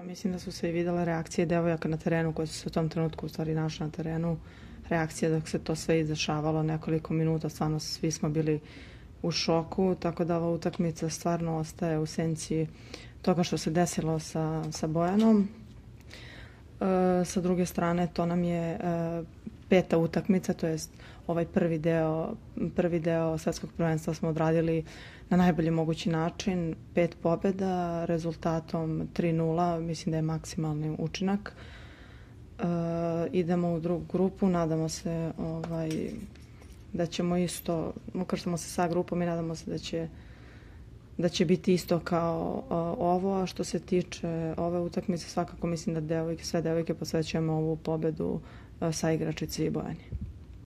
Mislim da su se i videle reakcije devojaka na terenu koje su se u tom trenutku u stvari našle na terenu. Reakcije dok se to sve izdešavalo nekoliko minuta, stvarno svi smo bili u šoku, tako da ova utakmica stvarno ostaje u senci toga što se desilo sa Bojanom. Sa druge strane, to nam je peta utakmica, to jest ovaj prvi deo svetskog prvenstva smo odradili na najbolji mogući način, 5 pobjeda, rezultatom 3:0, mislim da je maksimalni učinak. Idemo u drugu grupu, nadamo se da ćemo isto, ukrštamo se sa grupom i nadamo se da će biti isto kao ovo, a što se tiče ove utakmice, svakako mislim da sve devojke posvećujemo ovu pobedu sa igračici i Bojani.